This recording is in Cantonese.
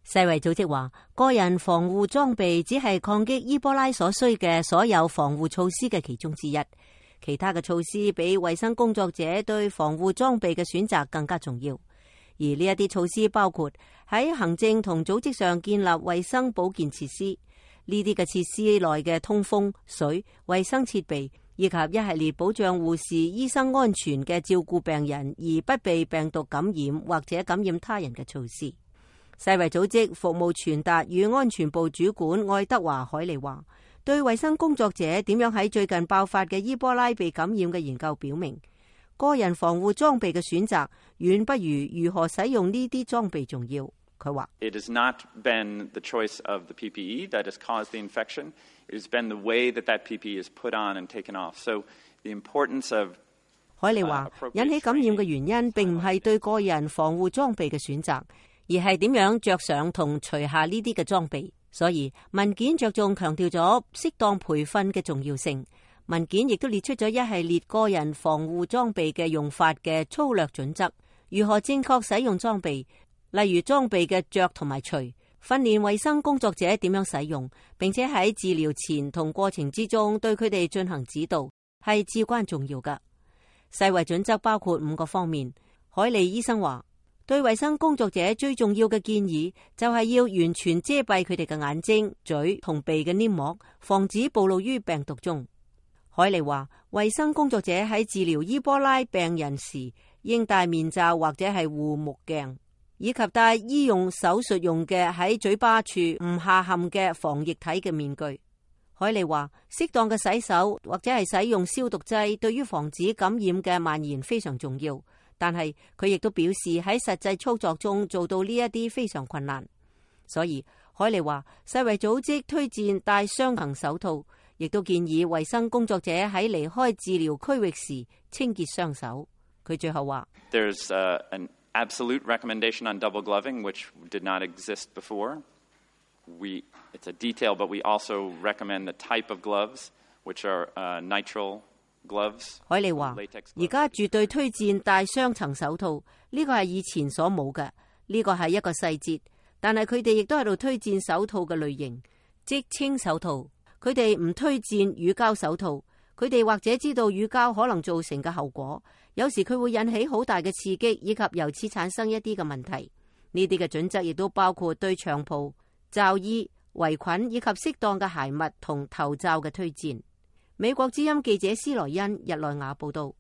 世衛組織話，個人防護裝備只係抗擊伊波拉所需嘅所有防護措施嘅其中之一，其他嘅措施比衛生工作者對防護裝備嘅選擇更加重要。而呢一啲措施包括喺行政同組織上建立衛生保健設施，呢啲嘅設施內嘅通風、水、衛生設備，以及一系列保障護士、醫生安全嘅照顧病人而不被病毒感染或者感染他人嘅措施。世衛組織服務傳達與安全部主管愛德華海利話，對衛生工作者點樣喺最近爆發嘅伊波拉被感染嘅研究表明，個人防護裝備嘅選擇遠不如如何使用呢啲裝備重要。佢話：It has not been the choice of the PPE that has caused the infection. It has been the way that that PPE is put on and taken off. So the importance of 海利話，引起感染嘅原因並唔係對個人防護裝備嘅選擇，而係點樣着上同除下呢啲嘅裝備。所以文件着重強調咗適當培訓嘅重要性。文件亦都列出咗一系列個人防護裝備嘅用法嘅粗略準則，如何正確使用裝備，例如裝備嘅着同埋除，訓練衛生工作者點樣使用，並且喺治療前同過程之中對佢哋進行指導，係至關重要㗎。世衛準則包括5個方面。海利醫生話，對衛生工作者最重要嘅建議就係要完全遮蔽佢哋嘅眼睛、嘴同鼻嘅黏膜，防止暴露於病毒中。海利話，衛生工作者喺治療伊波拉病人時應戴面罩或者係護目鏡，以及戴醫用手術用嘅喺嘴巴處唔下陷嘅防液體嘅面具。海利話，適當嘅洗手或者係使用消毒劑對於防止感染嘅蔓延非常重要，但係佢亦都表示喺實際操作中做到呢一啲非常困難。所以海利話，世衛組織推薦戴雙層手套，亦都建議衛生工作者喺離開治療區域時清潔雙手。佢最後話：There's an absolute recommendation on double gloving, which did not exist before. It's a detail, but we also recommend the type of gloves, which are nitrile gloves. 海利話：而家絕對推薦戴雙層手套，呢個係以前所冇嘅，呢個係一個細節。但係佢哋亦都喺度推薦手套嘅類型，即清手套。佢哋唔推薦乳膠手套，佢哋或者知道乳膠可能造成嘅後果，有時佢會引起好大嘅刺激，以及由此產生一啲嘅問題。呢啲嘅準則亦都包括對長袍、罩衣、圍裙以及適當嘅鞋襪同頭罩嘅推薦。美國之音記者斯萊恩日內瓦報道。